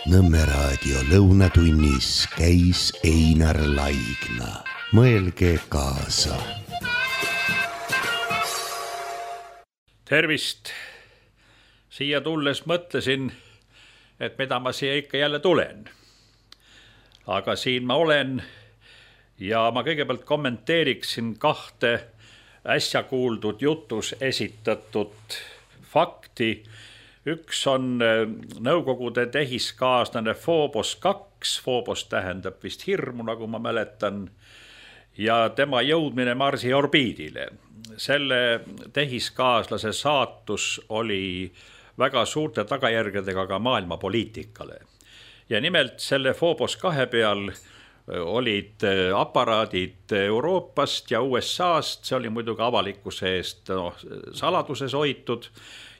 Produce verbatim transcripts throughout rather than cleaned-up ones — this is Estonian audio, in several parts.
Nõmme raadio lõunatunnis käis Einar Laigna. Mõelge kaasa. Tervist! Siia tulles mõtlesin, et mida ma siia ikka jälle tulen. Aga siin ma olen ja ma kõigepealt kommenteeriksin kahte äsja kuuldud jutus esitatud fakti. Üks on Nõukogude tehiskaaslane Phobos kaks, Phobos tähendab vist hirmu, nagu ma mäletan, ja tema jõudmine Marsi orbiidile. Selle tehiskaaslase saatus oli väga suurte tagajärgedega ka maailma poliitikale. Ja nimelt selle Phobos kahe peal olid aparaadid Euroopast ja U S A-st, see oli muidugi avalikkuse eest no, saladuses hoitud,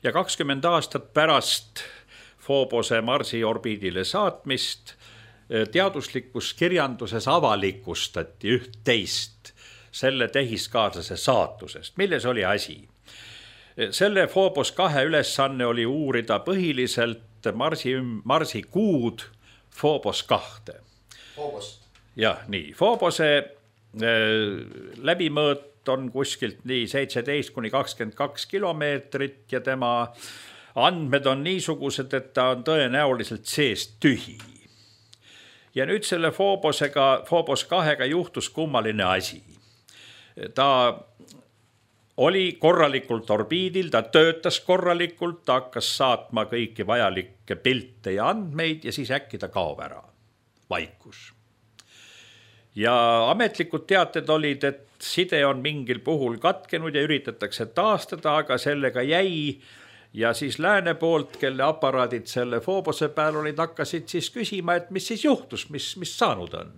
ja kakskümmend aastat pärast Phobose Marsi orbiidile saatmist teaduslikus kirjanduses avalikustati üht-teist selle tehiskaaslase saatusest. Milles oli asi? Selle Phobos kahe ülesanne oli uurida põhiliselt Marsi, Marsi kuud Phobos kahte. Phobost. Jah, nii. Phobose äh, läbimõõt on kuskilt nii seitseteist kuni kakskümmend kaks kilomeetrit ja tema andmed on niisugused, et ta on tõenäoliselt seest tühi. Ja nüüd selle Phobosega, Phobos kahega juhtus kummaline asi. Ta oli korralikult orbiidil, ta töötas korralikult, ta hakkas saatma kõiki vajalikke pilte ja andmeid ja siis äkki ta kaob ära. Vaikus. Ja ametlikud teated olid, et side on mingil puhul katkenud ja üritatakse taastada, aga sellega jäi ja siis lääne poolt, kelle aparaadid selle Phobose peal olid, hakkasid siis küsima, et mis siis juhtus, mis, mis saanud on.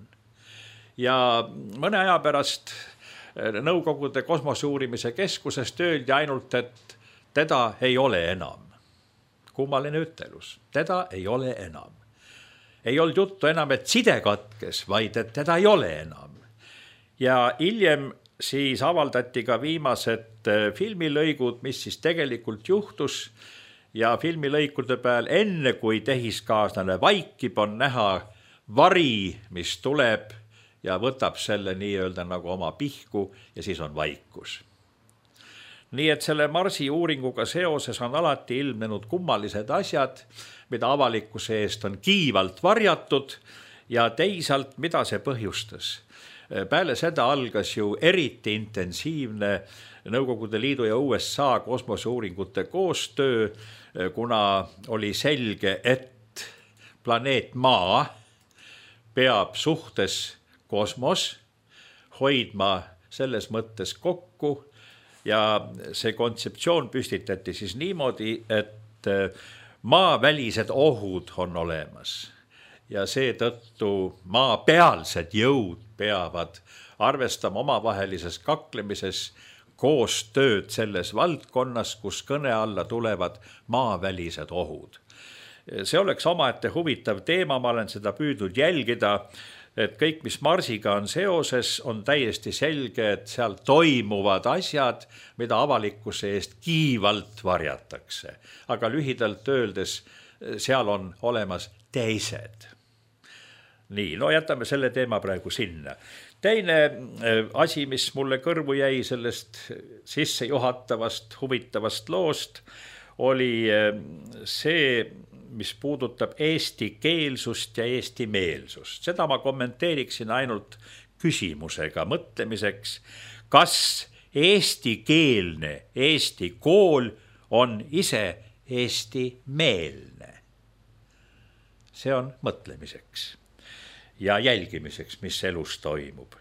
Ja mõne aja pärast Nõukogude kosmoseuurimise keskusest öeldi ainult, et teda ei ole enam. Kummaline ütelus, teda ei ole enam. Ei olnud juttu enam, et side katkes, vaid et teda ei ole enam. Ja hiljem siis avaldati ka viimased filmilõigud, mis siis tegelikult juhtus ja filmilõikude peal enne kui tehiskaaslane vaikib on näha vari, mis tuleb ja võtab selle nii-öelda nagu oma pihku ja siis on vaikus. Nii et selle Marsi uuringuga seoses on alati ilmnenud kummalised asjad, mida avalikkuse eest on kiivalt varjatud ja teisalt, mida see põhjustas. Peale seda algas ju eriti intensiivne Nõukogude Liidu ja U S A kosmoseuuringute koostöö, kuna oli selge, et planeet Maa peab suhtes kosmos hoidma selles mõttes kokku ja see kontseptsioon püstitati siis niimoodi, et maavälised ohud on olemas ja seetõttu maapealsed jõud peavad arvestama omavahelises kaklemises koostööd selles valdkonnas, kus kõne alla tulevad maavälised ohud. See oleks omaette huvitav teema, ma olen seda püüdnud jälgida, et kõik, mis Marsiga on seoses, on täiesti selge, et seal toimuvad asjad, mida avalikkuse eest kiivalt varjatakse. Aga lühidalt öeldes, seal on olemas teised. Nii, no jätame selle teema praegu sinna. Teine asi, mis mulle kõrvu jäi sellest sissejuhatavast, huvitavast loost, oli see, mis puudutab eesti keelsust ja eesti meelsust. Seda ma kommenteeriksin ainult küsimusega mõtlemiseks, kas eestikeelne eesti kool on ise eesti meelne. See on mõtlemiseks ja jälgimiseks, mis elus toimub.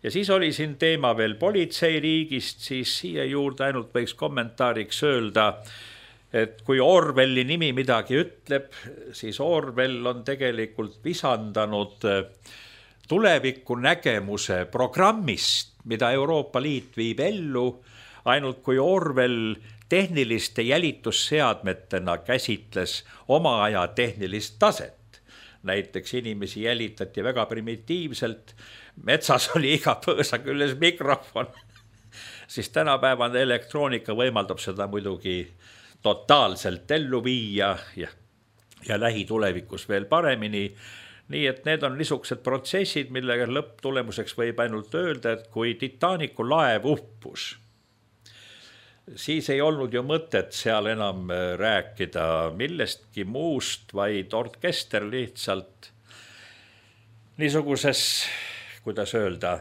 Ja siis oli siin teema veel politseiriigist, siis siia juurde ainult võiks kommentaariks öelda, et kui Orwelli nimi midagi ütleb, siis Orwell on tegelikult visandanud tuleviku nägemuse programmist, mida Euroopa Liit viib ellu, ainult kui Orwell tehniliste jälitusseadmetena käsitles oma aja tehnilist taset. Näiteks inimesi jälitati väga primitiivselt, metsas oli iga põõsa küljes mikrofon, siis tänapäevane elektroonika võimaldab seda muidugi totaalselt ellu viia ja ja lähitulevikus veel paremini. Nii et need on niisugused protsessid, millega lõpptulemuseks võib ainult öelda, et kui Titanicu laev uppus, siis ei olnud ju mõtet seal enam rääkida millestki muust, vaid orkester lihtsalt niisuguses, kuidas öelda,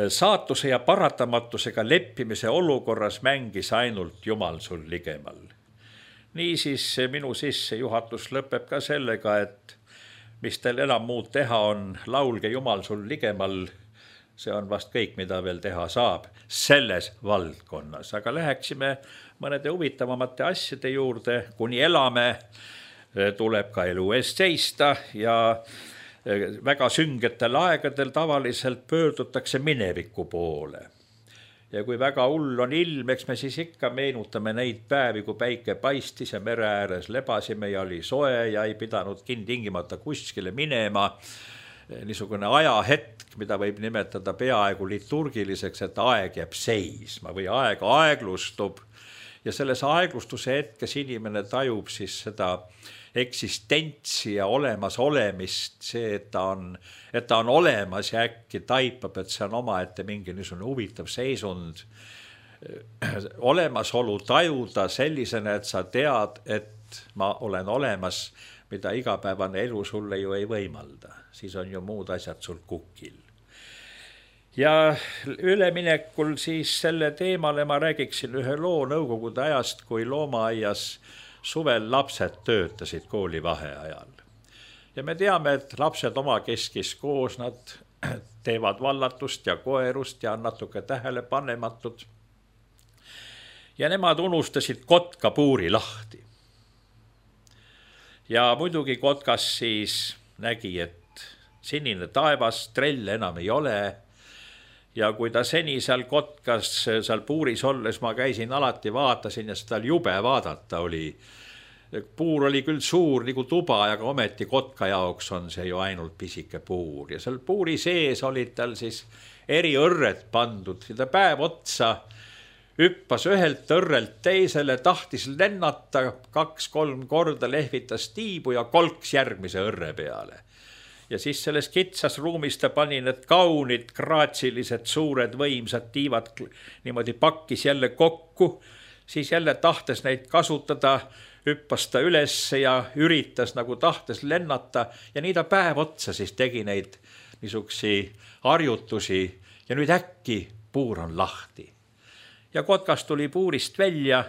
saatuse ja paratamatusega leppimise olukorras mängis ainult Jumal sul ligemal. Niisiis minu sissejuhatus lõpeb ka sellega, et mis teil enam muud teha on, laulge Jumal sul ligemal, see on vast kõik, mida veel teha saab selles valdkonnas. Aga läheksime mõnede huvitavamate asjade juurde, kuni elame, tuleb ka elu eest seista ja väga süngetel aegadel tavaliselt pöördutakse mineviku poole. Ja kui väga hull on ilm, eks me siis ikka meenutame neid päevi, kui päike paistis ja mere ääres lebasime ja oli soe ja ei pidanud tingimata kuskile minema. Niisugune ajahetk, mida võib nimetada peaaegu liturgiliseks, et aeg jääb seisma või aeg aeglustub. Ja selles aeglustuse hetkes inimene tajub siis seda eksistentsi ja olemas olemist, see, et ta on, et ta on olemas ja äkki taipab, et see on omaette mingi niisugune huvitav seisund. Olemasolu tajuda sellisena, et sa tead, et ma olen olemas, mida igapäevane elu sulle ju ei võimalda. Siis on ju muud asjad sul kukil. Ja üleminekul siis selle teemale ma räägiksin ühe loo nõukogude ajast, kui loomaaias suvel lapsed töötasid kooli vaheajal. Ja me teame, et lapsed oma keskis koos, nad teevad vallatust ja koerust ja on natuke tähelepanematud. Ja nemad unustasid kotka puuri lahti. Ja muidugi kotkas siis nägi, et sinine taevas, trell enam ei ole. Ja kui ta seni seal kotkas, seal puuris olles, ma käisin alati, vaatasin ja seda jube vaadata oli. Puur oli küll suur nagu tuba, aga ometi kotka jaoks on see ju ainult pisike puur. Ja seal puuri sees olid tal siis eri õrred pandud. Ja ta päev otsa hüppas ühelt õrrelt teisele, tahtis lennata, kaks-kolm korda lehvitas tiibu ja kolks järgmise õrre peale. Ja siis selles kitsas ruumis ta pani need kaunid, kraatsilised, suured, võimsad tiivad niimoodi pakkis jälle kokku, siis jälle tahtes neid kasutada, hüppas ta üles ja üritas nagu tahtes lennata ja nii ta päev otsa siis tegi neid niisugusi harjutusi ja nüüd äkki puur on lahti. Ja kotkas tuli puurist välja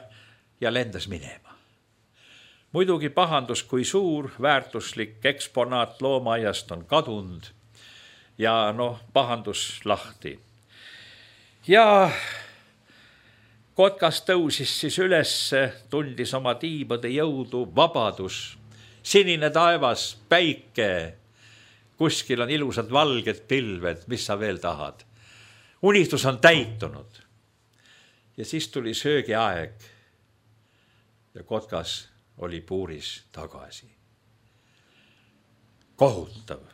ja lendas minema. Muidugi pahandus, kui suur, väärtuslik eksponaat loomaaiast on kadunud ja noh, pahandus lahti. Ja kotkas tõusis siis üles, tundis oma tiibade jõudu, vabadus, sinine taevas, päike, kuskil on ilusad valged pilved, mis sa veel tahad. Unistus on täitunud. Ja siis tuli söögiaeg ja kotkas oli puuris tagasi. Kohutav.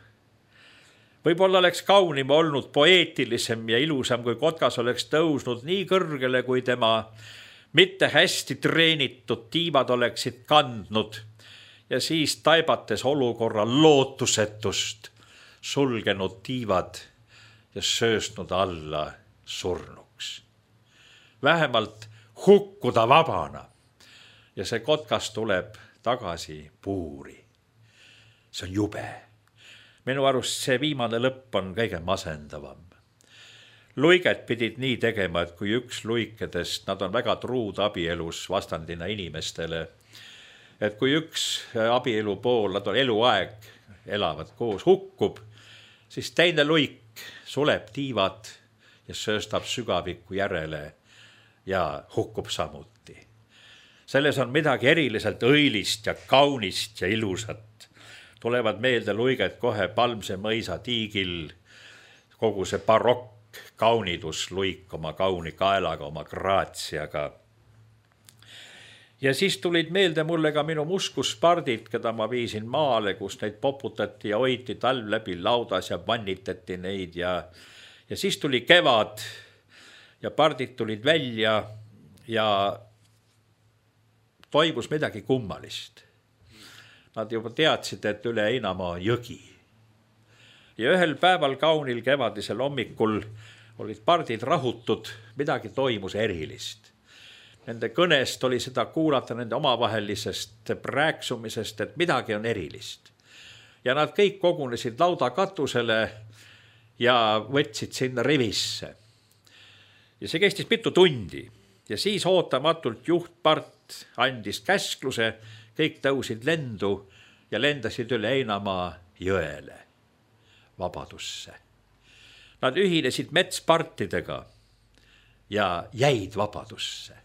Võib-olla oleks kaunim olnud poeetilisem ja ilusam, kui kotkas oleks tõusnud nii kõrgele, kui tema mitte hästi treenitud tiivad oleksid kandnud ja siis taibates olukorra lootusetust sulgenud tiivad ja sööstnud alla surnuks. Vähemalt hukkuda vabana. Ja see kotkas tuleb tagasi puuri. See on jube. Minu arust see viimane lõpp on kõige masendavam. Luiget pidid nii tegema, et kui üks luikedest, nad on väga truud abielus vastandina inimestele, et kui üks abielu pool, nad on eluaeg, elavad koos, hukkub, siis teine luik suleb tiivad ja sööstab sügaviku järele ja hukkub samuti. Selles on midagi eriliselt õilist ja kaunist ja ilusat. Tulevad meelde luiget kohe Palmse mõisa tiigil, kogu see barokk, kaunidus luik oma kauni kaelaga, oma graatsiaga. Ja siis tulid meelde mulle ka minu muskuspardid, keda ma viisin maale, kus neid poputati ja hoiti talv läbi laudas ja vannitati neid. Ja, ja siis tuli kevad ja pardid tulid välja ja toimus midagi kummalist. Nad juba teadsid, et üle Heinamaa on jõgi. Ja ühel päeval kaunil kevadisel hommikul olid pardid rahutud, midagi toimus erilist. Nende kõnest oli seda kuulata nende omavahelisest rääksumisest, et midagi on erilist. Ja nad kõik kogunesid lauda katusele ja võtsid sinna rivisse. Ja see kestis mitu tundi ja siis ootamatult juhtpart andis käskluse, kõik tõusid lendu ja lendasid üle Heinamaa jõele, vabadusse. Nad ühinesid metspartidega ja jäid vabadusse.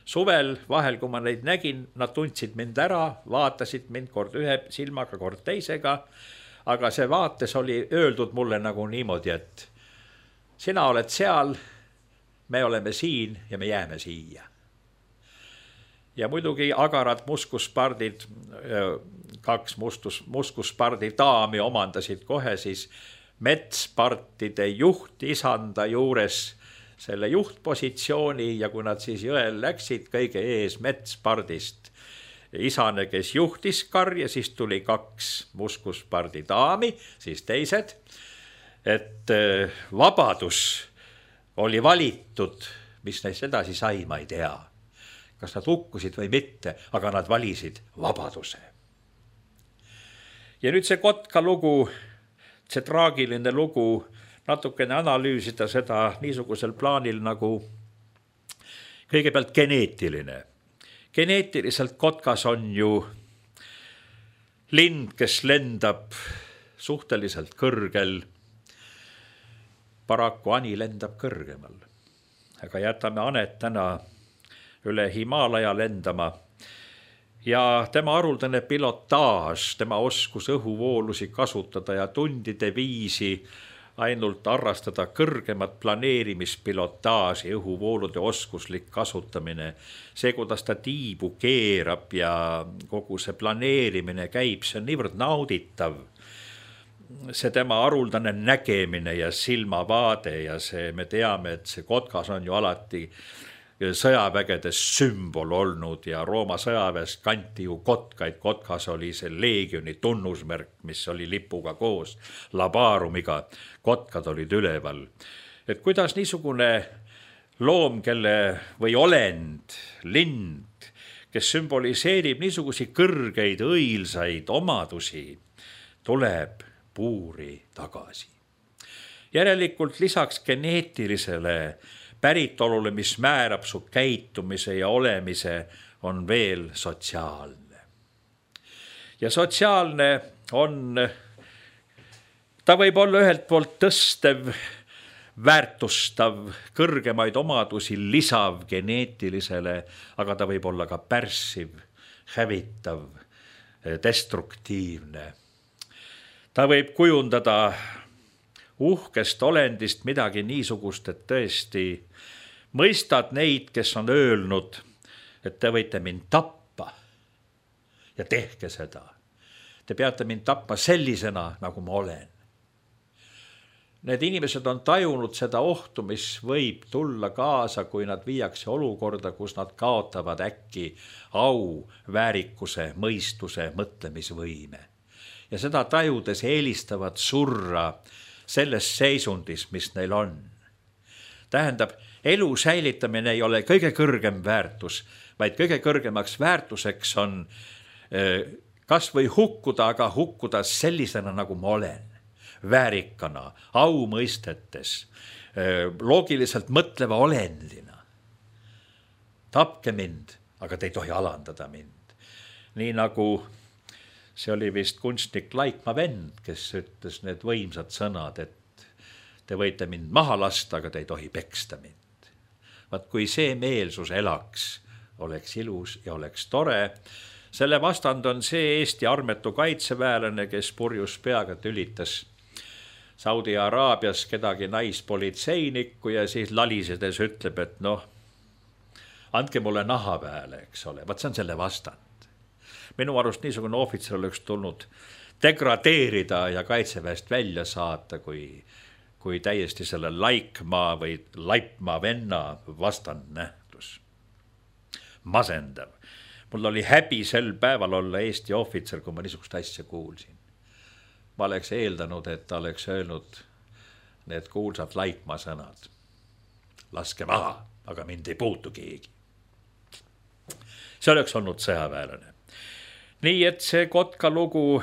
Suvel vahel, kui ma neid nägin, nad tundsid mind ära, vaatasid mind kord ühe silmaga, kord teisega, aga see vaates oli öeldud mulle nagu niimoodi, et sina oled seal, me oleme siin ja me jääme siia. Ja muidugi agarad muskuspardid, kaks mustus, muskuspardi daami omandasid kohe siis metspartide juhtisanda juures selle juhtpositsiooni ja kui nad siis jõel läksid kõige ees metspardist isane, kes juhtis karja, siis tuli kaks muskuspardi daami, siis teised, et vabadus oli valitud, mis neist edasi sai, ma ei tea. Kas nad hukkusid või mitte, aga nad valisid vabaduse. Ja nüüd see Kotka lugu, see traagiline lugu, natukene analüüsida seda niisugusel plaanil nagu kõigepealt geneetiline. Geneetiliselt Kotkas on ju lind, kes lendab suhteliselt kõrgel. Paraku Ani lendab kõrgemal. Aga jätame Anet täna üle Himaalaja lendama. Ja tema haruldane pilotaaž, tema oskus õhuvoolusi kasutada ja tundide viisi ainult arrastada kõrgemat planeerimispilotaaži, õhuvoolude oskuslik kasutamine. See, kuidas ta tiibu keerab ja kogu see planeerimine käib, see on niivõrd nauditav. See tema haruldane nägemine ja silmavaade ja see, me teame, et see Kotkas on ju alati sõjavägedes sümbol olnud ja Rooma sõjaväest kanti ju kotkaid. Kotkas oli see leegioni tunnusmärk, mis oli lipuga koos labaarumiga. Kotkad olid üleval. Et kuidas niisugune loom, kelle või olend, lind, kes sümboliseerib niisugusi kõrgeid, õilsaid omadusi, tuleb puuri tagasi. Järelikult lisaks geneetilisele päritolule, mis määrab su käitumise ja olemise, on veel sotsiaalne. Ja sotsiaalne on, ta võib olla ühelt poolt tõstev, väärtustav, kõrgemaid omadusi lisav geneetilisele, aga ta võib olla ka pärssiv, hävitav, destruktiivne. Ta võib kujundada uhkest olendist midagi niisugust, et tõesti mõistad neid, kes on öelnud, et te võite mind tappa ja tehke seda. Te peate mind tappa sellisena, nagu ma olen. Need inimesed on tajunud seda ohtu, mis võib tulla kaasa, kui nad viiakse olukorda, kus nad kaotavad äkki au, väärikuse, mõistuse, mõtlemisvõime. Ja seda tajudes eelistavad surra selles seisundis, mis neil on. Tähendab, elu säilitamine ei ole kõige kõrgem väärtus, vaid kõige kõrgemaks väärtuseks on kas või hukkuda, aga hukkuda sellisena, nagu ma olen. Väärikana, au mõistetes, loogiliselt mõtleva olendina. Tapke mind, aga te ei tohi alandada mind. Nii nagu see oli vist kunstnik Laikmaa vend, kes ütles need võimsad sõnad, et te võite mind maha lasta, aga te ei tohi peksta mind. Vaat kui see meelsus elaks, oleks ilus ja oleks tore. Selle vastand on see Eesti armetu kaitseväelane, kes purjus peaga tülitas Saudi Araabias kedagi naispolitseinikku ja siis lalisedes ütleb, et noh, andke mulle naha peale, eks ole. Vaat see on selle vastand. Minu arust niisugune ohvitser oleks tulnud degradeerida ja kaitseväest välja saata, kui, kui täiesti selle Laikmaa või Laipmaa venna vastand nähtus. Masendav. mul oli häbi sel päeval olla Eesti ohvitser, kui ma niisugust asja kuulsin. Ma oleks eeldanud, et ta oleks öelnud need kuulsad Laikmaa sõnad. Laske maha, aga mind ei puutu keegi. See oleks olnud sõjaväelane. Nii et see Kotka lugu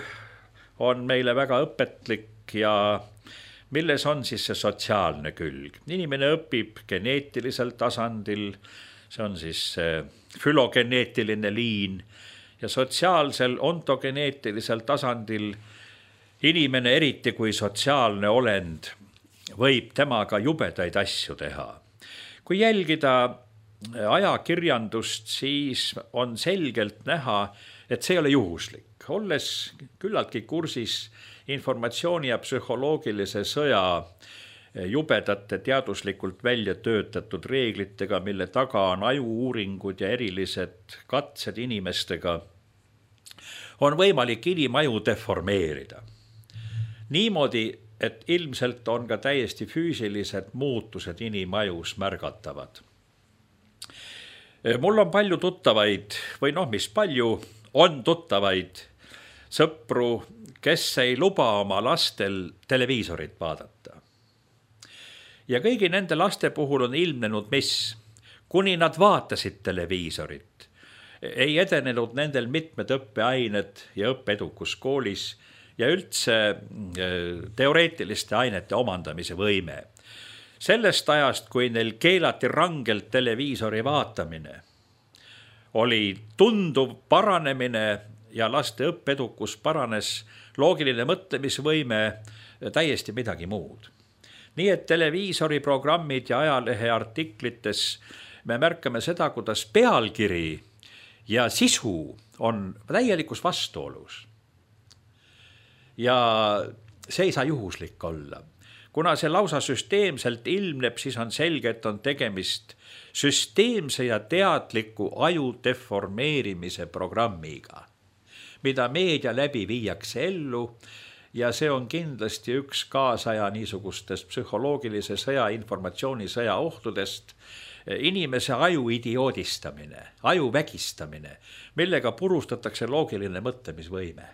on meile väga õpetlik ja milles on siis see sotsiaalne külg. Inimene õpib geneetilisel tasandil, see on siis fülogeneetiline liin ja sotsiaalsel ontogeneetilisel tasandil inimene, eriti kui sotsiaalne olend, võib temaga jubedaid asju teha. Kui jälgida ajakirjandust, siis on selgelt näha, et see ei ole juhuslik. Olles küllaltki kursis informatsiooni ja psühholoogilise sõja jubedate teaduslikult välja töötatud reeglitega, mille taga on ajuuuringud ja erilised katsed inimestega, on võimalik inimaju deformeerida. Niimoodi, et ilmselt on ka täiesti füüsilised muutused inimajus märgatavad. Mul on palju tuttavaid, või noh, mis palju, on tuttavaid sõpru, kes ei luba oma lastel televiisorit vaadata. Ja kõigi nende laste puhul on ilmnenud, mis, kuni nad vaatasid televiisorit, ei edenenud nendel mitmed õppeained ja õppeedukus koolis ja üldse teoreetiliste ainete omandamise võime. Sellest ajast, kui neil keelati rangelt televiisori vaatamine, oli tunduv paranemine ja laste õppeedukus paranes, loogiline mõtlemisvõime täiesti midagi muud. Nii et televiisori programmid ja ajalehe artiklites me märkame seda, kuidas pealkiri ja sisu on täielikus vastuolus. Ja see ei saa juhuslik olla. Kuna see lausa süsteemselt ilmneb, siis on selge, et on tegemist süsteemse ja teadliku aju deformeerimise programmiga, mida meedia läbi viiakse ellu ja see on kindlasti üks kaasaja niisugustest psühholoogilise sõja, informatsioonisõja ohtudest, inimese aju idioodistamine, aju vägistamine, millega purustatakse loogiline mõtlemisvõime.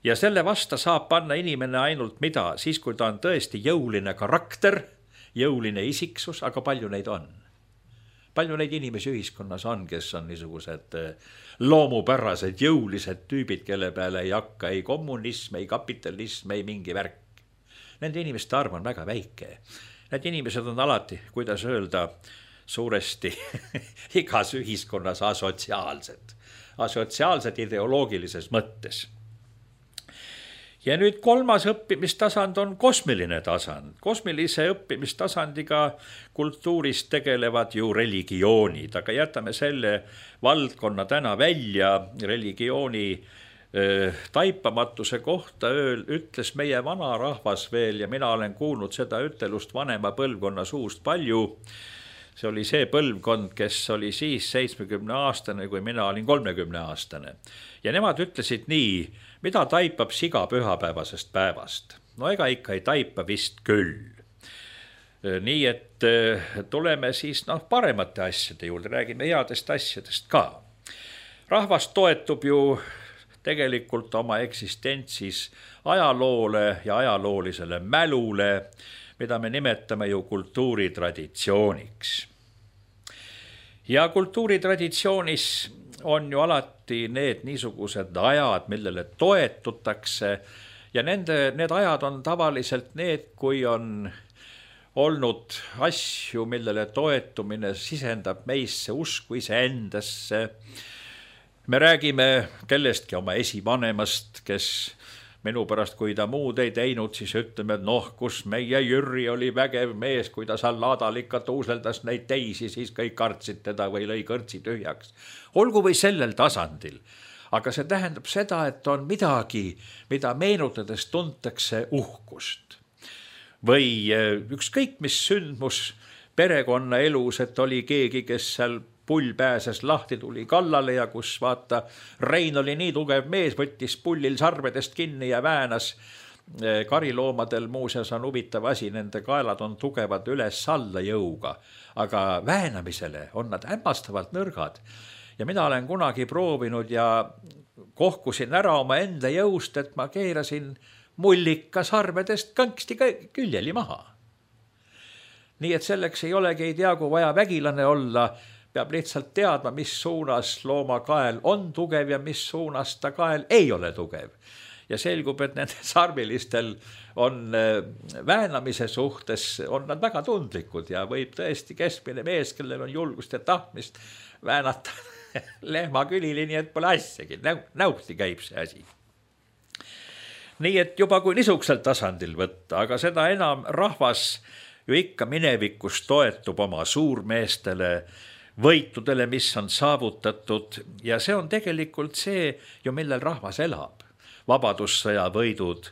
Ja selle vasta saab panna inimene ainult mida, siis kui ta on tõesti jõuline karakter, jõuline isiksus, aga palju neid on. Palju neid inimesi ühiskonnas on, kes on niisugused loomupärased, jõulised tüübid, kelle peale ei hakka ei kommunism, ei kapitalism, ei mingi värk. Nende inimeste arv on väga väike. Need inimesed on alati, kuidas öelda, suuresti igas ühiskonnas asotsiaalsed. Asotsiaalsed ideoloogilises mõttes. Ja nüüd kolmas õppimistasand on kosmiline tasand. Kosmilise õppimistasandiga kultuuris tegelevad ju religioonid, aga jätame selle valdkonna täna välja. Religiooni äh, taipamatuse kohta ööl ütles meie vana rahvas veel ja mina olen kuulnud seda ütelust vanema põlvkonna suust palju. See oli see põlvkond, kes oli siis seitsmekümne aastane, kui mina olin kolmekümne aastane. Ja nemad ütlesid nii, mida taipab siga pühapäevasest päevast. No ega ikka ei taipa vist küll. Nii et tuleme siis noh, paremate asjade juurde, räägime headest asjadest ka. Rahvas toetub ju tegelikult oma eksistentsis ajaloole ja ajaloolisele mälule, mida me nimetame ju kultuuritraditsiooniks. Ja kultuuritraditsioonis on ju alati need niisugused ajad, millele toetutakse ja nende, need ajad on tavaliselt need, kui on olnud asju, millele toetumine sisendab meisse usku iseendasse. Me räägime kellestki oma esivanemast, kes minu pärast, kui ta muud ei teinud, siis ütleme, et noh, kus meie Jüri oli vägev mees, kui ta seal laadal ikka tuuseldas neid teisi, siis kõik kartsid teda või lõi kõrtsi tühjaks. Olgu või sellel tasandil, aga see tähendab seda, et on midagi, mida meenutades tuntakse uhkust. Või ükskõik mis sündmus perekonna elus, et oli keegi, kes seal pull pääses lahti, tuli kallale ja kus vaata, Rein oli nii tugev mees, võttis pullil sarvedest kinni ja väänas. Kariloomadel muuseas on huvitav asi, nende kaelad on tugevad üles alla jõuga, aga väänamisele on nad hämmastavalt nõrgad. ja mina olen kunagi proovinud ja kohkusin ära oma enda jõust, et ma keerasin mullika sarvedest kõnksti küljeli maha. Nii et selleks ei olegi ei tea, kui vaja vägilane olla, peab lihtsalt teadma, mis suunas looma kael on tugev ja mis suunas ta kael ei ole tugev. Ja selgub, et nende sarvilistel on väänamise suhtes, on nad väga tundlikud ja võib tõesti keskmine mees, kellel on julgust ja tahtmist väänata lehma külili, nii et pole asjagi, näuhti käib see asi. Nii et juba kui niisugusel tasandil võtta, aga seda enam rahvas ju ikka minevikus toetub oma suurmeestele, võitudele, mis on saavutatud ja see on tegelikult see ju, millel rahvas elab. Vabadussõja võidud,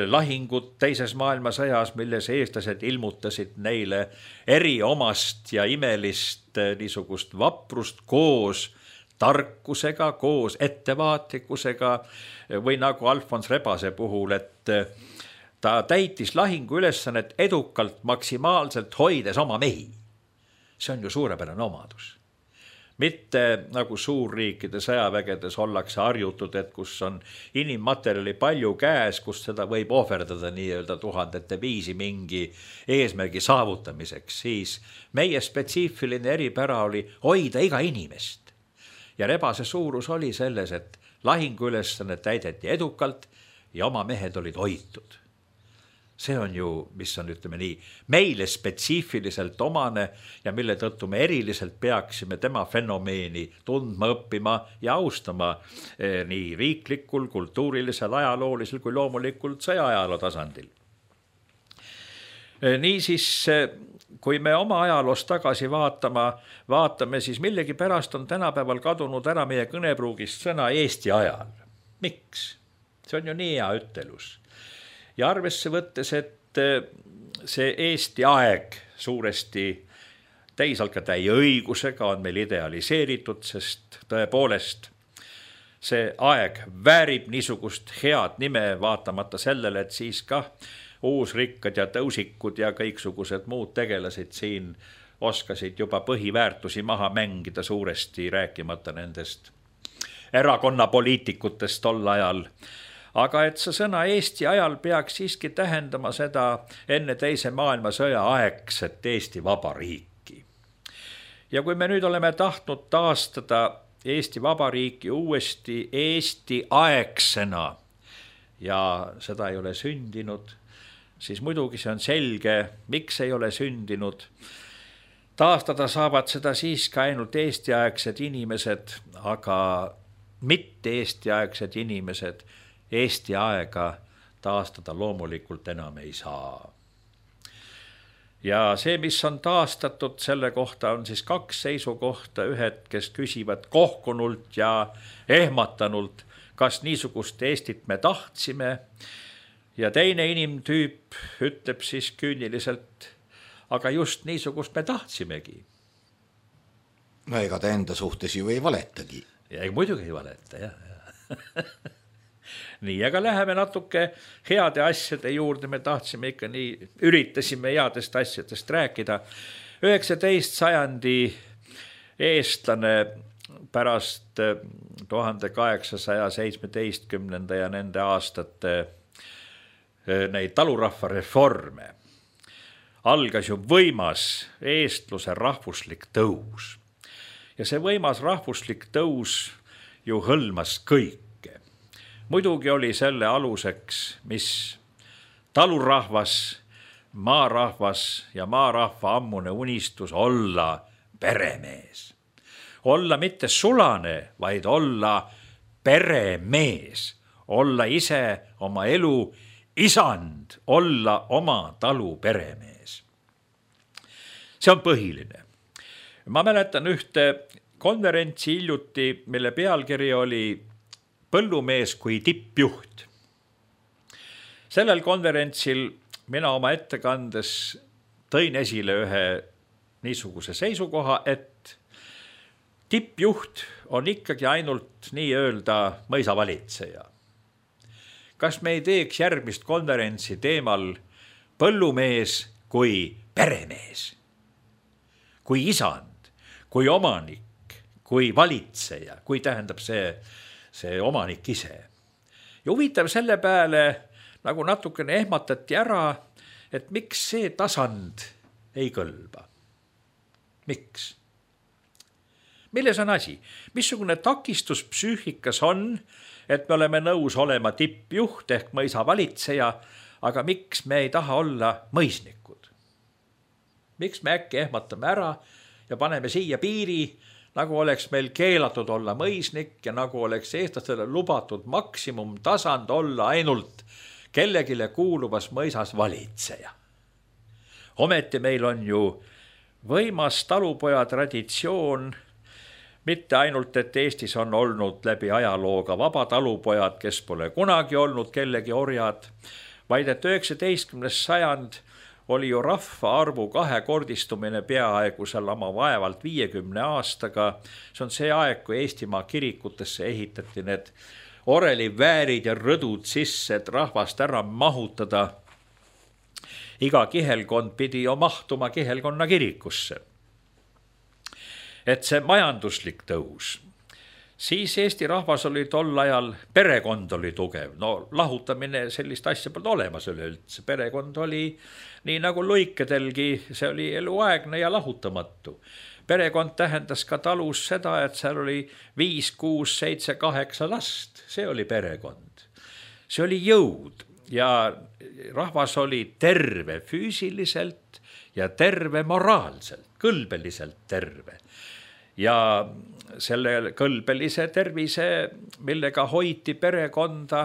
lahingud teises maailmasõjas, milles eestlased ilmutasid neile eriomast ja imelist niisugust vaprust koos tarkusega, koos ettevaatlikkusega või nagu Alfons Rebase puhul, et ta täitis lahingu ülesannet edukalt maksimaalselt hoides oma mehi. See on ju suurepärane omadus. Mitte nagu suurriikide sõjavägedes ollakse harjutud, et kus on inimmaterjali palju käes, kus seda võib ohverdada nii-öelda tuhandete viisi mingi eesmärgi saavutamiseks, siis meie spetsiifiline eripära oli hoida iga inimest. Ja Rebase suurus oli selles, et lahinguülesanne täideti edukalt ja oma mehed olid hoitud. See on ju, mis on, ütleme nii, meile spetsiifiliselt omane ja mille tõttu me eriliselt peaksime tema fenomeeni tundma, õppima ja austama eh, nii riiklikul, kultuurilisel, ajaloolisel kui loomulikult sõjaajaloo tasandil. Eh, nii siis, kui me oma ajaloost tagasi vaatama, vaatame, siis millegi pärast on tänapäeval kadunud ära meie kõnepruugist sõna Eesti ajal. Miks? See on ju nii hea ütelus. Ja arvesse võttes, et see Eesti aeg suuresti teisalt ka täie õigusega on meil idealiseeritud, sest tõepoolest see aeg väärib niisugust head nime vaatamata sellele, et siis ka uusrikkad ja tõusikud ja kõiksugused muud tegelasid siin oskasid juba põhiväärtusi maha mängida suuresti, rääkimata nendest erakonnapoliitikutest tol ajal. Aga et see sõna Eesti ajal peaks siiski tähendama seda enne teise maailmasõja aegset Eesti Vabariiki. Ja kui me nüüd oleme tahtnud taastada Eesti Vabariiki uuesti Eesti aegsena ja seda ei ole sündinud, siis muidugi see on selge, miks ei ole sündinud. Taastada saavad seda siiski ainult Eesti-aegsed inimesed, aga mitte Eesti-aegsed inimesed Eesti aega taastada loomulikult enam ei saa. Ja see, mis on taastatud, selle kohta on siis kaks seisukohta, ühed, kes küsivad kohkunult ja ehmatanult, kas niisugust Eestit me tahtsime, ja teine inimtüüp ütleb siis küüniliselt, aga just niisugust me tahtsimegi. No ega ta enda suhtes ju ei valetagi. Ja muidugi ei valeta, jah, jah. Nii, aga läheme natuke heade asjade juurde, me tahtsime ikka nii, üritasime headest asjadest rääkida. üheksateist sajandi eestlane pärast tuhande kaheksasaja seitsmeteistkümnenda ja nende aastate neid talurahva reforme algas ju võimas eestluse rahvuslik tõus. Ja see võimas rahvuslik tõus ju hõlmas kõik. Muidugi oli selle aluseks, mis talurahvas, maarahvas ja maarahva ammune unistus olla peremees. Olla mitte sulane, vaid olla peremees. Olla ise oma elu isand, olla oma talu peremees. See on põhiline. Ma mäletan ühte konverentsi hiljuti, mille pealkiri oli põllumees kui tippjuht. Sellel konverentsil mina oma ettekandes tõin esile ühe niisuguse seisukoha, et tippjuht on ikkagi ainult nii-öelda mõisavalitseja. Kas me ei teeks järgmist konverentsi teemal põllumees kui peremees, kui isand, kui omanik, kui valitseja, kui tähendab see, see omanik ise. Ja huvitav selle peale nagu natukene ehmatati ära, et miks see tasand ei kõlba. Miks? Milles on asi? Missugune takistus psüühikas on, et me oleme nõus olema tippjuht ehk mõisa valitseja, aga miks me ei taha olla mõisnikud? Miks me äkki ehmatame ära ja paneme siia piiri, nagu oleks meil keelatud olla mõisnik ja nagu oleks eestlastele lubatud maksimumtasand olla ainult kellegile kuuluvas mõisas valitseja. Ometi meil on ju võimas talupoja traditsioon, mitte ainult, et Eestis on olnud läbi ajalooga vaba talupojad, kes pole kunagi olnud kellegi orjad, vaid et üheksateistkümnes sajand oli ju rahvaarvu kahekordistumine peaaegu seal oma vaevalt viiekümne aastaga. See on see aeg, kui Eestimaa kirikutesse ehitati need oreliväärid ja rõdud sisse, et rahvast ära mahutada. Iga kihelkond pidi ju mahtuma kihelkonna kirikusse. Et see majanduslik tõus. Siis Eesti rahvas oli tol ajal, perekond oli tugev. No lahutamine sellist asja polnud olemas üleüldse. Perekond oli nii nagu luikedelgi, see oli eluaegne ja lahutamatu. Perekond tähendas ka talus seda, et seal oli viis, kuus, seitse, kaheksa last. See oli perekond. See oli jõud ja rahvas oli terve füüsiliselt ja terve moraalselt, kõlbeliselt terve. Ja selle kõlbelise tervise, millega hoiti perekonda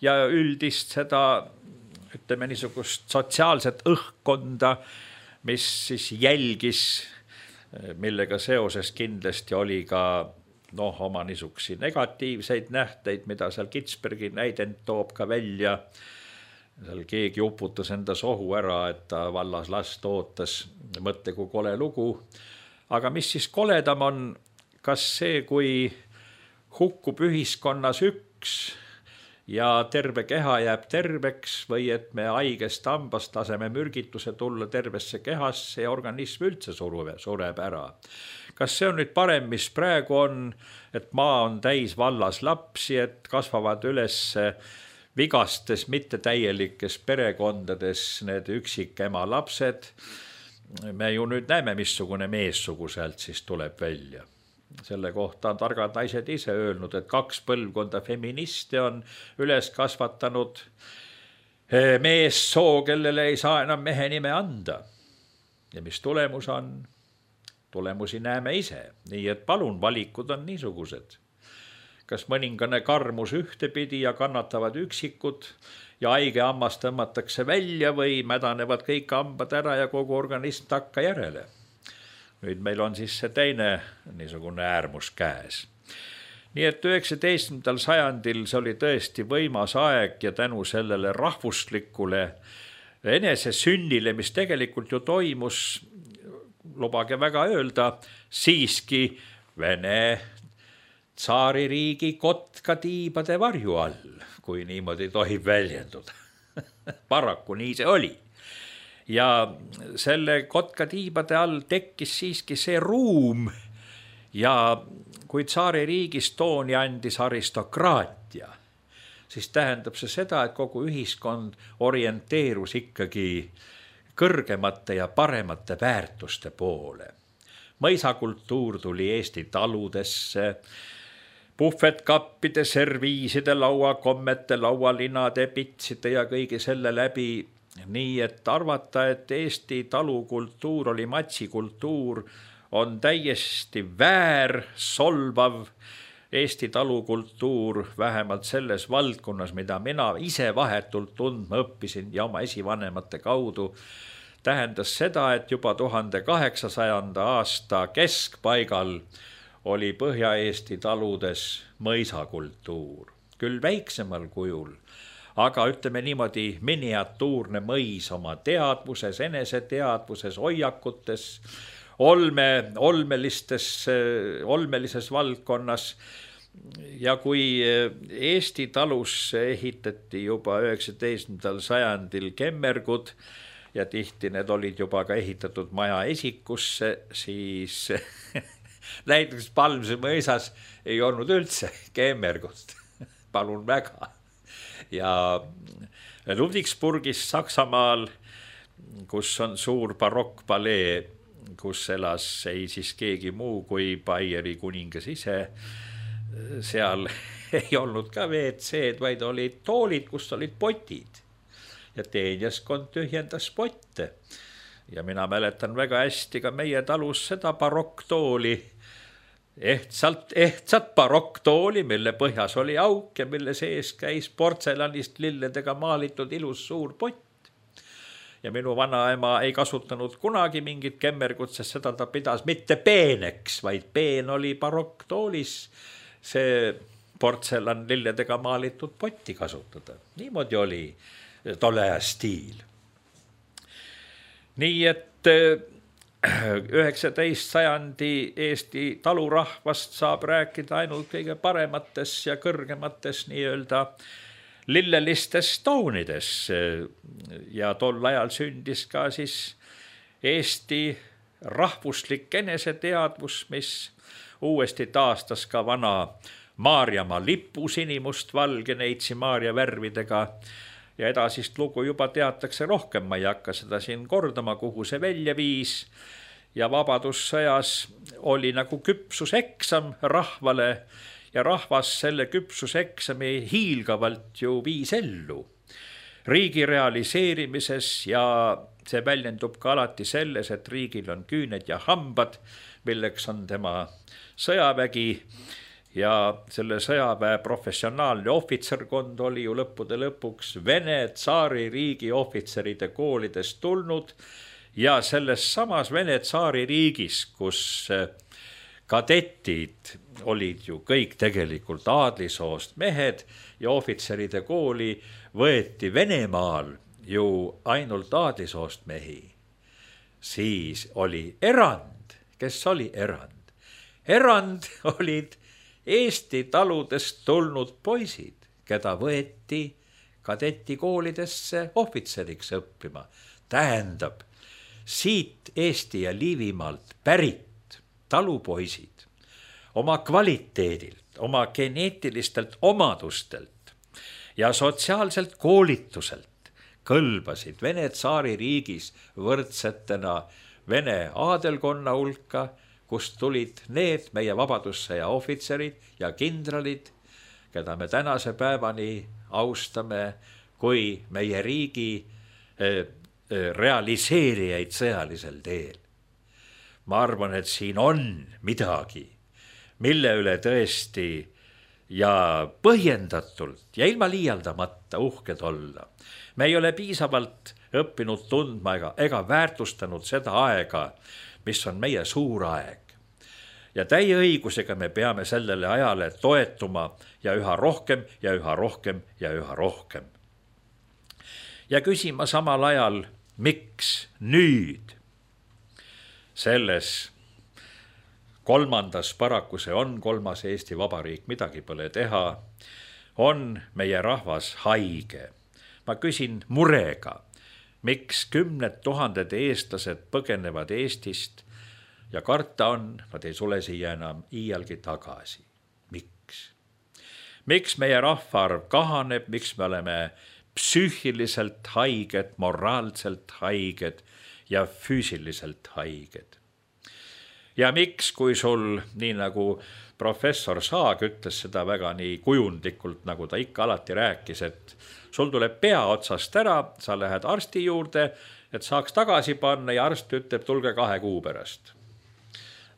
ja üldist seda, ütleme niisugust sotsiaalset õhkkonda, mis siis jälgis, millega seoses kindlasti oli ka noh, oma niisugusi negatiivseid nähteid, mida seal Kitzbergi näidend toob ka välja. Seal keegi uputas enda sohu ära, et ta vallas last ootas, mõtle kui kole lugu. Aga mis siis koledam on, kas see, kui hukkub ühiskonnas üks ja terve keha jääb terveks või et me haigest hambast laseme mürgituse tulla tervesse kehasse ja organism üldse sureb ära. Kas see on nüüd parem, mis praegu on, et maa on täis vallas lapsi, et kasvavad üles vigastes mittetäielikes perekondades need üksikema lapsed? Me ju nüüd näeme, missugune meessugu sealt siis tuleb välja. Selle kohta on targad naised ise öelnud, et kaks põlvkonda feministe on üles kasvatanud meessoo, kellele ei saa enam mehe nime anda. Ja mis tulemus on? Tulemusi näeme ise. Nii et palun, valikud on niisugused. Kas mõningane karmus ühtepidi ja kannatavad üksikud ja haige hammas tõmmatakse välja või mädanevad kõik hambad ära ja kogu organism takka järele. Nüüd meil on siis see teine niisugune äärmus käes. Nii et üheksateistkümnendal sajandil see oli tõesti võimas aeg ja tänu sellele rahvuslikule enesesünnile, mis tegelikult ju toimus, lubage väga öelda, siiski Vene tsaaririigi kotkatiibade varju all, kui niimoodi tohib väljenduda. Paraku nii see oli. Ja selle kotkatiibade all tekkis siiski see ruum ja kui tsaaririigis tooni andis aristokraatia, siis tähendab see seda, et kogu ühiskond orienteerus ikkagi kõrgemate ja paremate väärtuste poole. Mõisakultuur tuli Eesti taludesse, puhvetkappide, serviiside, lauakommete, laualinade, pitside ja kõige selle läbi, nii et arvata, et Eesti talukultuur oli matsikultuur, on täiesti väär, solvav. Eesti talukultuur vähemalt selles valdkonnas, mida mina ise vahetult tundma õppisin ja oma esivanemate kaudu, tähendas seda, et juba tuhande kaheksasajanda aasta keskpaigal oli Põhja-Eesti taludes mõisakultuur. Küll väiksemal kujul, aga ütleme niimoodi miniatuurne mõis oma teadvuses, eneseteadvuses, hoiakutes, olme, olmelistes, olmelises valdkonnas. Ja kui Eesti talusse ehitati juba üheksateistkümnendal sajandil kemmergud ja tihti need olid juba ka ehitatud maja esikusse, siis näiteks Palmse mõisas ei olnud üldse keemmergust, palun väga. Ja Ludwigsburgis Saksamaal, kus on suur barokkpalee, kus elas ei siis keegi muu kui Baieri kuningas ise, seal ei olnud ka V C-d, vaid olid toolid, kus olid potid. Ja teenjaskond tühjendas potte. Ja mina mäletan väga hästi ka meie talus seda barokktooli, ehtsalt, ehtsat barokktooli, mille põhjas oli auk ja mille sees käis portselanist lilledega maalitud ilus suur pott. Ja minu vanaema ei kasutanud kunagi mingit kemmergut, sest seda ta pidas mitte peeneks, vaid peen oli barokktoolis see portselan lilledega maalitud potti kasutada. Niimoodi oli tolle aja stiil. Nii et üheksateist sajandi Eesti talurahvast saab rääkida ainult kõige paremates ja kõrgemates nii-öelda lillelistes toonides. Ja tol ajal sündis ka siis Eesti rahvuslik eneseteadvus, mis uuesti taastas ka vana Maarjamaa lipu sinimust-valge neitsi Maarja värvidega. Ja edasist lugu juba teatakse rohkem, ma ei hakka seda siin kordama, kuhu see välja viis. Ja vabadussõjas oli nagu küpsuseksam rahvale ja rahvas selle küpsuseksami hiilgavalt ju viis ellu. Riigi realiseerimises ja see väljendub ka alati selles, et riigil on küüned ja hambad, milleks on tema sõjavägi. Ja selle sõjaväe professionaalne ohvitserkond oli ju lõppude lõpuks Vene tsaari riigi ohvitseride koolidest tulnud ja selles samas Vene tsaari riigis, kus kadetid olid ju kõik tegelikult aadlisoost mehed ja ohvitseride kooli võeti Venemaal ju ainult aadlisoost mehi, siis oli erand. Kes oli erand? Erand olid Eesti taludest tulnud poisid, keda võeti kadetikoolidesse ohvitseriks õppima. Tähendab, siit Eesti ja Liivimaalt pärit talupoisid oma kvaliteedilt, oma geneetilistelt omadustelt ja sotsiaalselt koolituselt kõlbasid Vene tsaari riigis võrdsetena Vene aadelkonna hulka, kust tulid need meie vabadussõja ohvitserid ja kindralid, keda me tänase päevani austame kui meie riigi realiseerijaid sõjalisel teel. Ma arvan, et siin on midagi, mille üle tõesti ja põhjendatult ja ilma liialdamata uhked olla. Me ei ole piisavalt õppinud tundma ega, ega väärtustanud seda aega, mis on meie suur aeg. Ja täie õigusega me peame sellele ajale toetuma ja üha rohkem ja üha rohkem ja üha rohkem. Ja küsima samal ajal, miks nüüd selles kolmandas, paraku see on kolmas Eesti Vabariik, midagi pole teha, on meie rahvas haige. Ma küsin murega, miks kümned tuhanded eestlased põgenevad Eestist ja karta on, nad ei sule siia enam iialgi tagasi. Miks? Miks meie rahvaarv kahaneb, miks me oleme psüühiliselt haiged, moraalselt haiged ja füüsiliselt haiged? Ja miks, kui sul, nii nagu professor Saag ütles seda väga nii kujundlikult, nagu ta ikka alati rääkis, et sul tuleb pea otsast ära, sa lähed arsti juurde, et saaks tagasi panna ja arst ütleb, tulge kahe kuu pärast.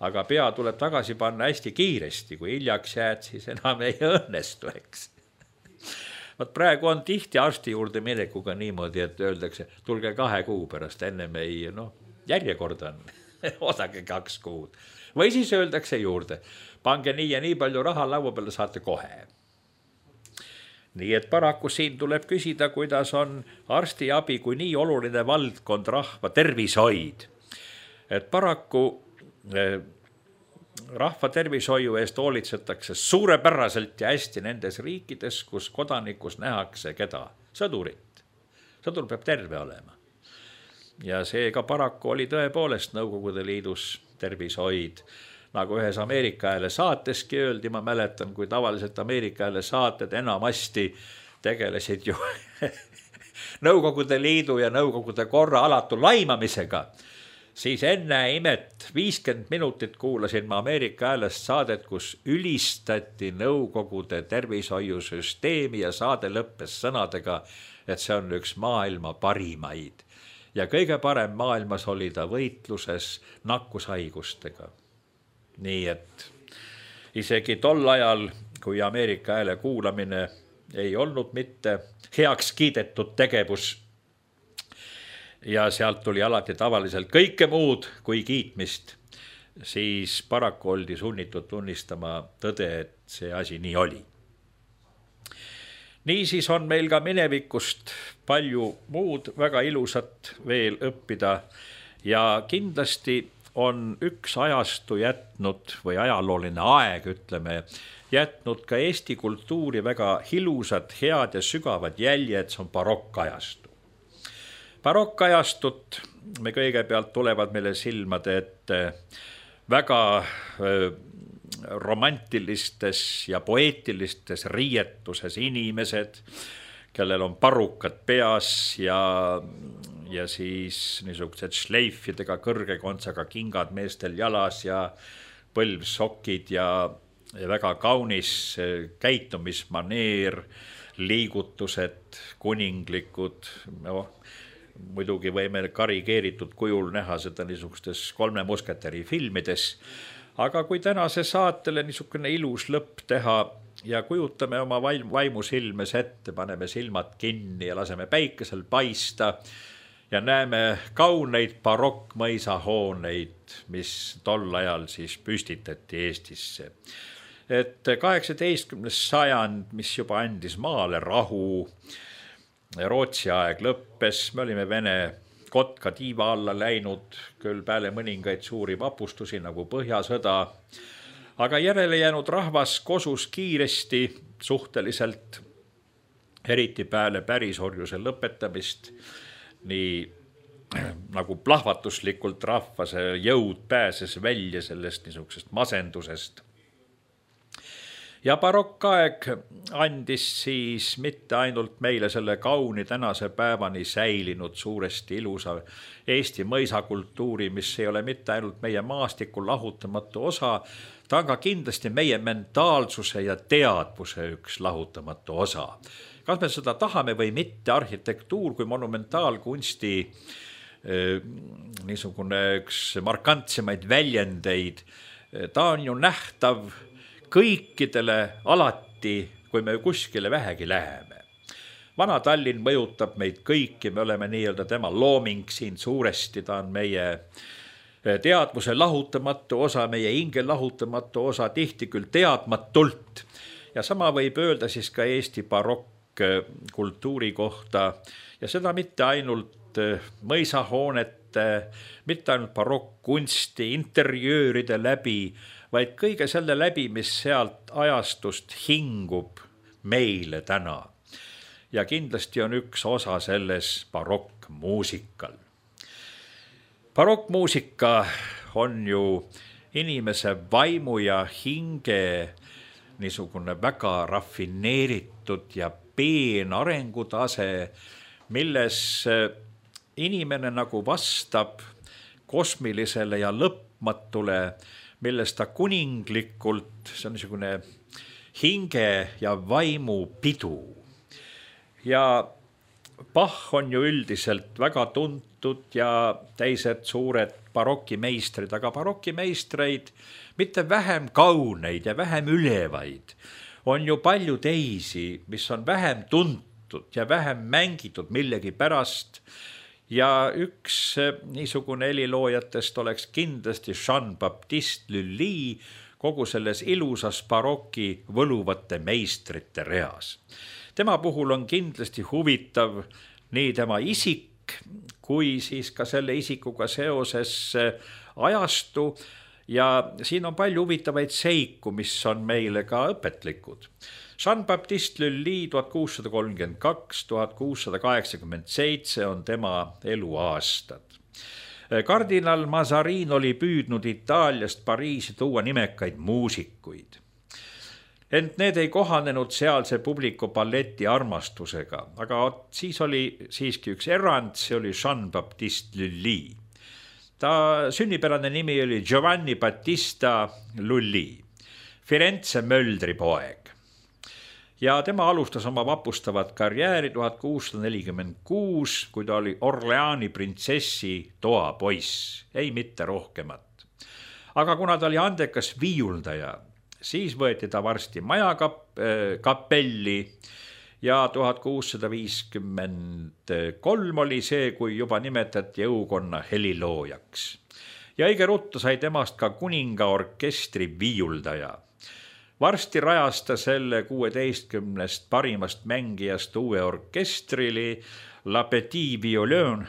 Aga pea tuleb tagasi panna hästi kiiresti, kui hiljaks jääd, siis enam ei õnnestu, eks. Võt praegu on tihti arsti juurde minekuga niimoodi, et öeldakse, tulge kahe kuu pärast, enne me ei, noh, järjekord on, osage kaks kuud. Või siis öeldakse juurde, pange nii ja nii palju raha laua peale, saate kohe. Nii et paraku siin tuleb küsida, kuidas on arstiabi kui nii oluline valdkond rahva tervishoid. Et paraku rahva tervishoiu eest hoolitsetakse suurepäraselt ja hästi nendes riikides, kus kodanikus nähakse keda? Sõdurit. Sõdur peab terve olema. Ja seega paraku oli tõepoolest Nõukogude Liidus tervishoid nagu ühes Ameerika Hääle saateski öeldi, ma mäletan, kui tavaliselt Ameerika Hääle saated enamasti tegelesid ju Nõukogude Liidu ja Nõukogude korra alatu laimamisega, siis enne imet viiskümmend minutit kuulasin ma Ameerika Häälest saadet, kus ülistati Nõukogude tervishoiusüsteemi ja saade lõppes sõnadega, et see on üks maailma parimaid. Ja kõige parem maailmas oli ta võitluses nakkushaigustega. Nii et isegi tol ajal, kui Ameerika Hääle kuulamine ei olnud mitte heaks kiidetud tegevus ja sealt tuli alati tavaliselt kõike muud kui kiitmist, siis paraku oldi sunnitud tunnistama tõde, et see asi nii oli. Niisiis on meil ka minevikust palju muud väga ilusat veel õppida ja kindlasti on üks ajastu jätnud või ajalooline aeg, ütleme, jätnud ka Eesti kultuuri väga ilusad, head ja sügavad jäljed, see on barokkajastu. Barokkajastut me kõigepealt tulevad meile silmade ette väga romantilistes ja poeetilistes riietuses inimesed, kellel on parukad peas ja, ja siis niisugused šleifidega kõrge kontsaga kingad meestel jalas ja põlvsokid ja, ja väga kaunis käitumismaneer, liigutused, kuninglikud, no, muidugi võime karigeeritud kujul näha seda niisugustes kolme musketeri filmides, aga kui tänase saatele niisugune ilus lõpp teha ja kujutame oma vaimu silmes ette, paneme silmad kinni ja laseme päikesel paista ja näeme kauneid barokkmõisahooneid, mis tol ajal siis püstitati Eestisse. Et kaheksateistkümnes sajand, mis juba andis maale rahu, Rootsi aeg lõppes, me olime Vene kotka tiiva alla läinud, küll peale mõningaid suuri vapustusi nagu Põhjasõda, aga järele jäänud rahvas kosus kiiresti suhteliselt, eriti peale pärisorjuse lõpetamist, nii nagu plahvatuslikult rahva see jõud pääses välja sellest niisugusest masendusest. Ja barokkaeg andis siis mitte ainult meile selle kauni tänase päevani säilinud suuresti ilusa Eesti mõisakultuuri, mis ei ole mitte ainult meie maastikul lahutamatu osa, ta on ka kindlasti meie mentaalsuse ja teadvuse üks lahutamatu osa. Kas me seda tahame või mitte, arhitektuur kui monumentaalkunsti niisugune üks markantsemaid väljendeid, ta on ju nähtav kõikidele alati, kui me kuskile vähegi läheme. Vana Tallinn mõjutab meid kõiki, me oleme nii-öelda tema looming siin suuresti, ta on meie teadvuse lahutamatu osa, meie hinge lahutamatu osa, tihti küll teadmatult. Ja sama võib öelda siis ka Eesti barokkkultuuri kohta ja seda mitte ainult mõisahoonete, mitte ainult barokkkunsti, interjööride läbi, vaid kõige selle läbi, mis sealt ajastust hingub meile täna. Ja kindlasti on üks osa selles barokkmuusikal. Barokkmuusika on ju inimese vaimu ja hinge niisugune väga rafineeritud ja peen arengutase, milles inimene nagu vastab kosmilisele ja lõpmatule, millest ta kuninglikult, see on niisugune hinge ja vaimu pidu. Ja Bach on ju üldiselt väga tuntud ja teised suured barokkimeistrid, aga barokkimeistreid mitte vähem kauneid ja vähem ülevaid. On ju palju teisi, mis on vähem tuntud ja vähem mängitud millegi pärast. Ja üks niisugune heliloojatest oleks kindlasti Jean-Baptiste Lully kogu selles ilusas barokki võluvate meistrite reas. Tema puhul on kindlasti huvitav nii tema isik, kui siis ka selle isikuga seoses ajastu ja siin on palju huvitavaid seiku, mis on meile ka õpetlikud. Jean-Baptiste Lully tuhat kuussada kolmkümmend kaks, tuhat kuussada kaheksakümmend seitse on tema eluaastad. Kardinal Mazarin oli püüdnud Itaaliast Pariisi tuua nimekaid muusikuid. Ent need ei kohanenud sealse publiku balleti armastusega, aga siis oli siiski üks erand, see oli Jean-Baptiste Lully. Ta sünnipärane nimi oli Giovanni Battista Lully, Firenze möldri poeg. Ja tema alustas oma vapustavat karjääri tuhat kuussada nelikümmend kuus, kui ta oli Orleani printsessi toapoiss, ei mitte rohkemat. Aga kuna ta oli andekas viiuldaja, siis võeti ta varsti majakapelli ja tuhat kuussada viiskümmend kolm oli see, kui juba nimetati jõukonna heliloojaks. Ja õige ruttu sai temast ka kuningaorkestri viiuldaja. Varsti rajas ta selle kuueteistkümnest parimast mängijast uue orkestrili La Petit Violon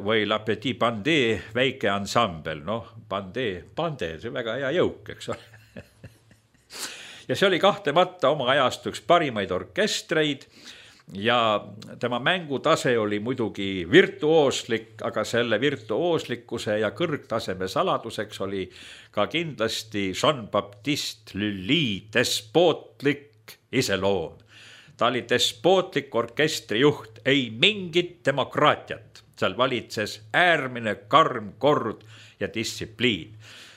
või La Petit Bandé väike ansambel. Noh, Bandé, Bandé, see väga hea jõuk, eks ole. Ja see oli kahtlemata oma ajast üks parimaid orkestreid ja tema mängutase oli muidugi virtuooslik, aga selle virtuooslikkuse ja kõrgtaseme saladuseks oli ka kindlasti Jean-Baptiste Lully despootlik iseloom. Ta oli despootlik orkestrijuht, ei mingit demokraatiat. Seal valitses äärmine karm kord ja distsipliin.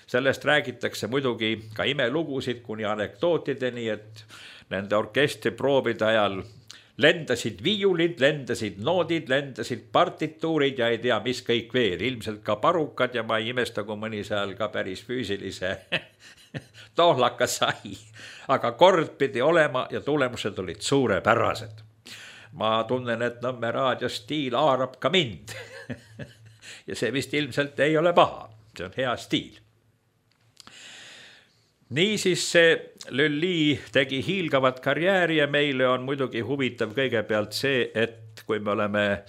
Sellest räägitakse muidugi ka imelugusid kuni anekdootideni, et nende orkestriproovide ajal lendasid viiulid, lendasid noodid, lendasid partituurid ja ei tea, mis kõik veel. Ilmselt ka parukad ja ma ei imesta, kui mõni seal ka päris füüsilise tohlaka sai. Aga kord pidi olema ja tulemused olid suurepärased. Ma tunnen, et Nõmme raadio stiil haarab ka mind. Ja see vist ilmselt ei ole paha. See on hea stiil. Niisiis see Lully tegi hiilgavat karjääri ja meile on muidugi huvitav kõigepealt see, et kui me oleme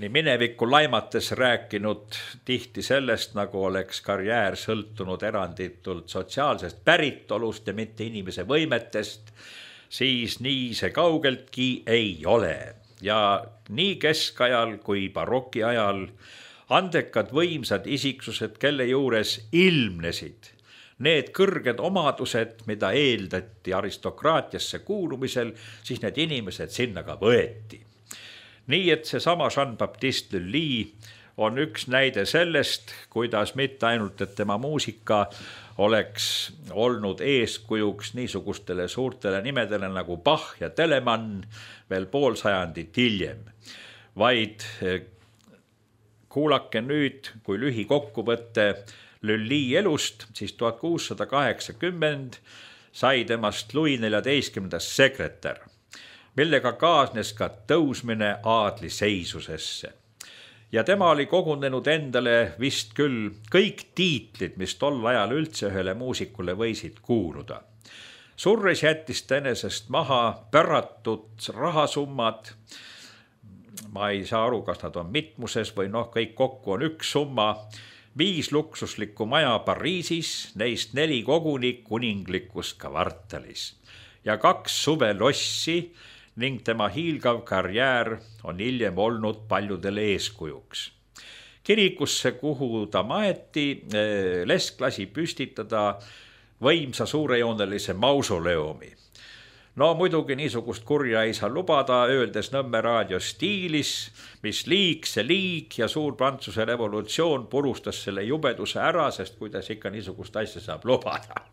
nii minevikku laimates rääkinud tihti sellest, nagu oleks karjäär sõltunud eranditult sotsiaalsest päritolust ja mitte inimese võimetest, siis nii see kaugeltki ei ole. Ja nii keskajal kui baroki ajal andekad võimsad isiksused, kelle juures ilmnesid need kõrged omadused, mida eeldati aristokraatiasse kuulumisel, siis need inimesed sinna ka võeti. Nii et see sama Jean-Baptiste Lully on üks näide sellest, kuidas mitte ainult, et tema muusika oleks olnud eeskujuks niisugustele suurtele nimedele nagu Bach ja Telemann veel pool sajandit hiljem, vaid kuulake nüüd, kui lühi kokkuvõtte Lully elust, siis tuhat kuussada kaheksakümmend sai temast Louis neljateistkümnendas sekretär, millega kaasnes ka tõusmine aadliseisusesse. Ja tema oli kogunenud endale vist küll kõik tiitlid, mis tol ajal üldse ühele muusikule võisid kuuluda. Surres jättis ta enesest maha päratud rahasummad, ma ei saa aru, kas nad on mitmuses või noh, kõik kokku on üks summa, viis luksuslikku maja Pariisis, neist neli koguni kuninglikus kvartalis ja kaks suvelossi ning tema hiilgav karjäär on hiljem olnud paljudele eeskujuks. Kirikusse, kuhu ta maeti, Lesk lasi püstitada võimsa suurejoonelise mausoleumi. No muidugi niisugust kurja ei saa lubada, öeldes Nõmme raadio stiilis, mis liig, see liig ja suur Prantsuse revolutsioon purustas selle jubeduse ära, sest kuidas ikka niisugust asja saab lubada.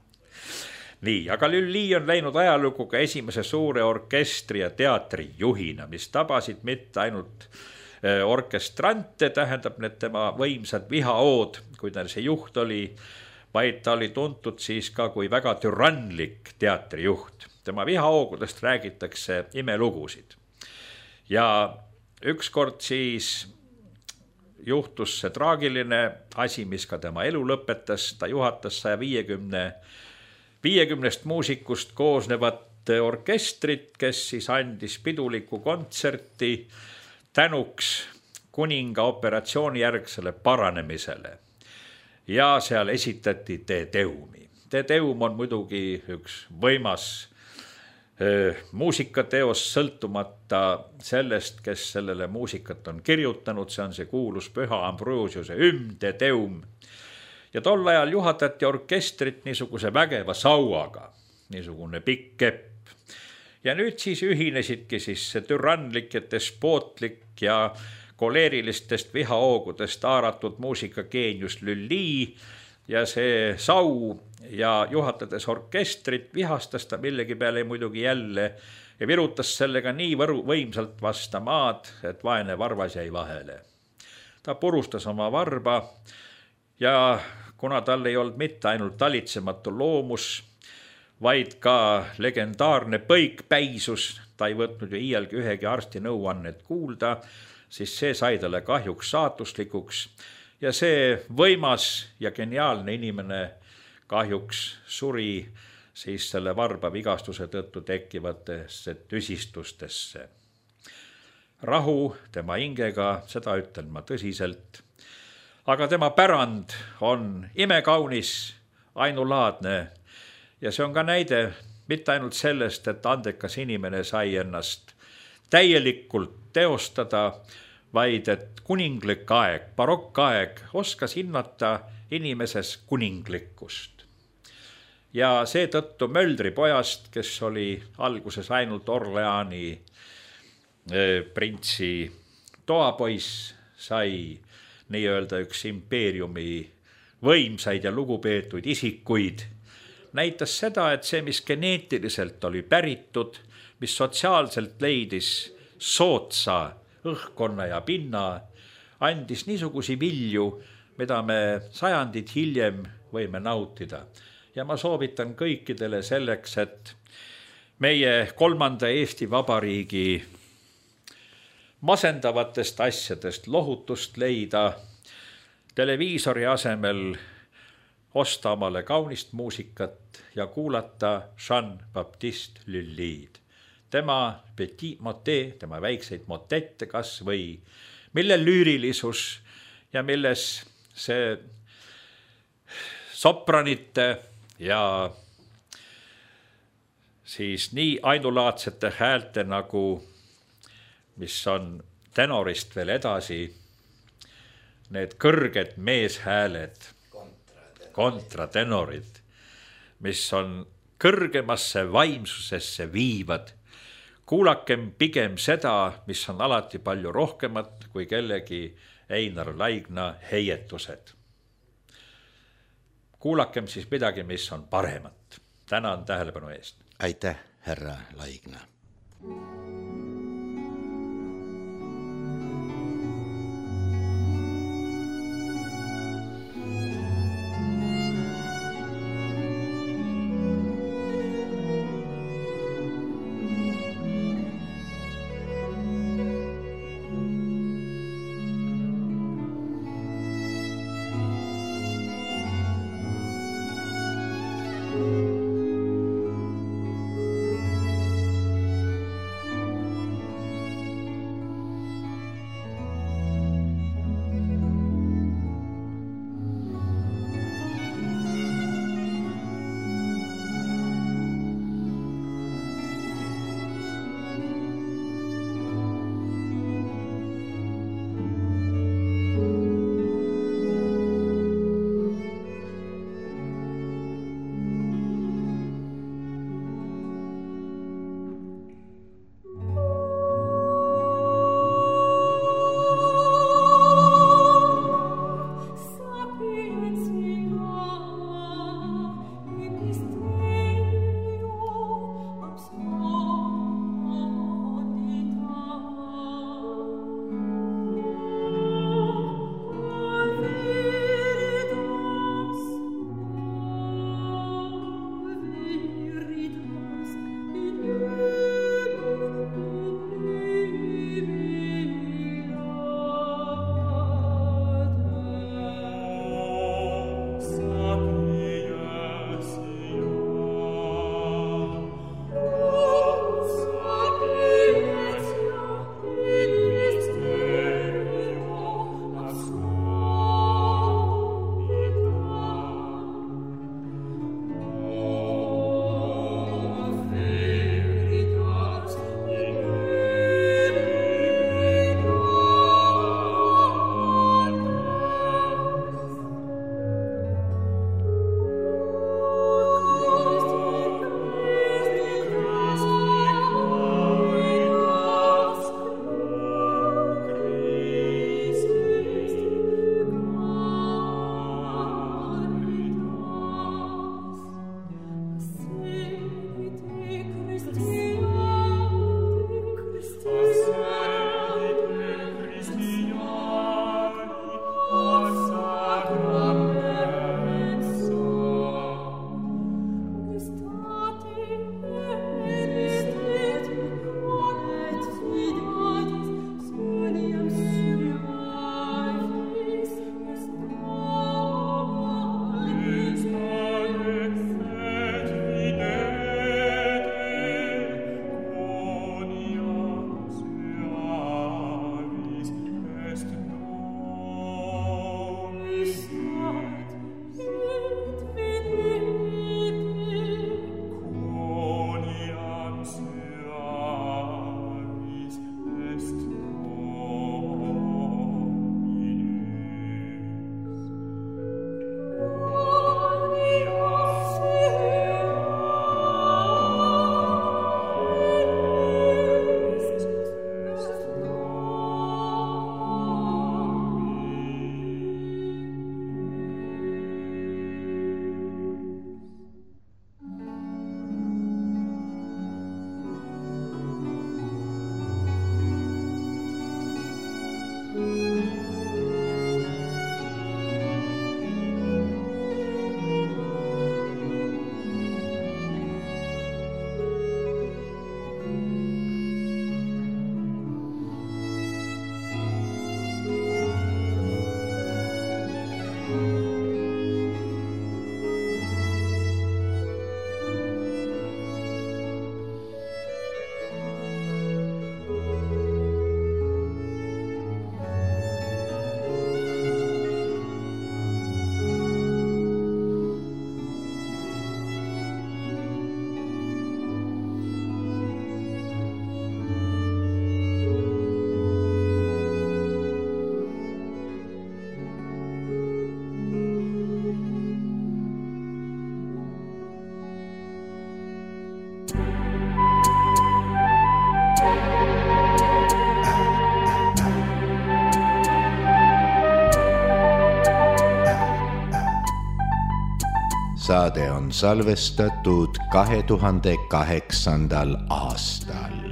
Nii, aga Lully on läinud ajalugu ka esimese suure orkestri ja teatri juhina, mis tabasid mitte ainult orkestrante, tähendab need tema võimsad vihaood, kui ta see juht oli, vaid ta oli tuntud siis ka kui väga türanlik teatrijuht. Tema vihahoogudest räägitakse imelugusid. Ja ükskord siis juhtus see traagiline asi, mis ka tema elu lõpetas. Ta juhatas saja viiekümnest muusikust koosnevat orkestrit, kes siis andis piduliku kontserti tänuks kuninga operatsioonijärgsele paranemisele. Ja seal esitati Te Deumi. Te Deum on muidugi üks võimas muusikateos sõltumata sellest, kes sellele muusikat on kirjutanud, see on see kuulus Püha Ambrosiuse hümn de Deum. Ja tol ajal juhatati orkestrit niisuguse vägeva sauaga, niisugune pikk kepp. Ja nüüd siis ühinesidki siis see türanlik ja despootlik ja koleerilistest vihahoogudest haaratud muusikageenius Lully ja see sau ja juhatades orkestrit vihastas ta millegi peale muidugi jälle ja virutas sellega nii võru, võimsalt vasta maad, et vaene varvas jäi vahele. Ta purustas oma varba ja kuna tal ei olnud mitte ainult talitsematu loomus, vaid ka legendaarne põikpäisus, ta ei võtnud ju iialgi ühegi arsti nõuannet kuulda, siis see sai talle kahjuks saatuslikuks ja see võimas ja geniaalne inimene kahjuks suri siis selle varba vigastuse tõttu tekkivatesse tüsistustesse. Rahu tema hingega, seda ütlen ma tõsiselt, aga tema pärand on imekaunis, ainulaadne ja see on ka näide mitte ainult sellest, et andekas inimene sai ennast täielikult teostada, vaid et kuninglik aeg, barokkaeg oskas hinnata inimeses kuninglikkust. Ja seetõttu Möldri pojast, kes oli alguses ainult Orleani printsi toapoiss, sai nii-öelda üks impeeriumi võimsaid ja lugupeetuid isikuid, näitas seda, et see, mis geneetiliselt oli päritud, mis sotsiaalselt leidis sootsa õhkkonna ja pinna, andis niisugusi vilju, mida me sajandid hiljem võime nautida. Ja ma soovitan kõikidele selleks, et meie kolmanda Eesti Vabariigi masendavatest asjadest lohutust leida, televiisori asemel osta omale kaunist muusikat ja kuulata Jean-Baptiste Lully'd. Tema petit motet, tema väikseid motette kas või, mille lüürilisus ja milles see sopranite ja siis nii ainulaadsete häälte nagu, mis on tenorist veel edasi, need kõrged meeshääled, kontratenorid, mis on kõrgemasse vaimsusesse viivad. Kuulakem pigem seda, mis on alati palju rohkemat kui kellegi Einar Laigna heietused. Kuulakem siis midagi, mis on paremat. Tänan tähelepanu eest. Aitäh, härra Laigna. saade on salvestatud kahe tuhande kaheksandal aastal.